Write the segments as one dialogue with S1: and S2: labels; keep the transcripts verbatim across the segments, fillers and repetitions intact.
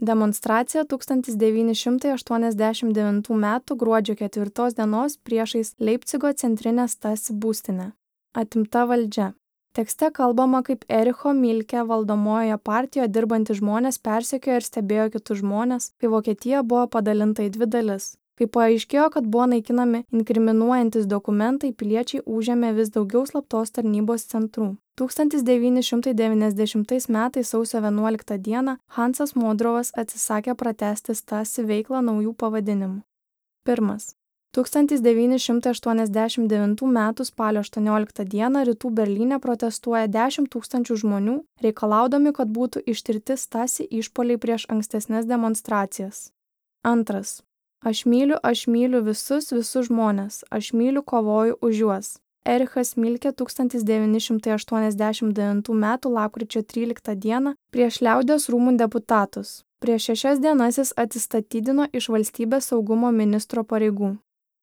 S1: Demonstracija tūkstantis devyni šimtai aštuoniasdešimt devintų metų gruodžio ketvirtos dienos priešais Leipcigo centrinę Stasi būstinę. Atimta valdžia. Tekste kalbama, kaip Ericho Milke valdomojoje partijoje dirbantys žmonės persekiojo ir stebėjo kitus žmonės, kai Vokietija buvo padalinta į dvi dalis. Kai paaiškėjo, kad buvo naikinami inkriminuojantis dokumentai, piliečiai užėmė vis daugiau slaptos tarnybos centrų. tūkstantis devyni šimtai devyniasdešimtais metais sausio vienuoliktą dieną Hansas Modrovas atsisakė pratęsti Stasi veiklą naujų pavadinimų. Pirmas. tūkstantis devyni šimtai aštuoniasdešimt devintų metų spalio aštuonioliktą dieną Rytų Berlyne protestuoja dešimt tūkstančių žmonių, reikalaudami, kad būtų ištirti Stasi išpuoliai prieš ankstesnes demonstracijas. Antras. Aš myliu, aš myliu visus, visus žmones, aš myliu, kovoju už juos. Erichas Milke tūkstantis devyni šimtai aštuoniasdešimt devintų metų lapkričio tryliktą dieną prieš Liaudies rūmų deputatus. Prieš šešias dienas jis atsistatydino iš valstybės saugumo ministro pareigų.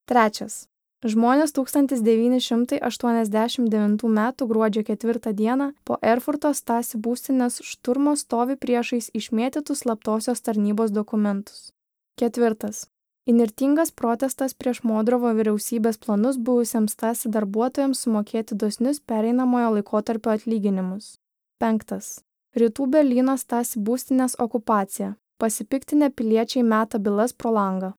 S1: Trečias. Žmonės tūkstantis devyni šimtai aštuoniasdešimt devintų metų gruodžio ketvirtą dieną po Erfurto Stasi būstinės šturmo stovi priešais išmėtytus slaptosios tarnybos dokumentus. Ketvirtas. Įnirtingas protestas prieš Modrovo vyriausybės planus buvusiems Stasi darbuotojams sumokėti dosnius pereinamojo laikotarpio atlyginimus. Penktas. Rytų Berlyno Stasi būstinės okupacija. Pasipiktinę piliečiai meta bylas pro langą.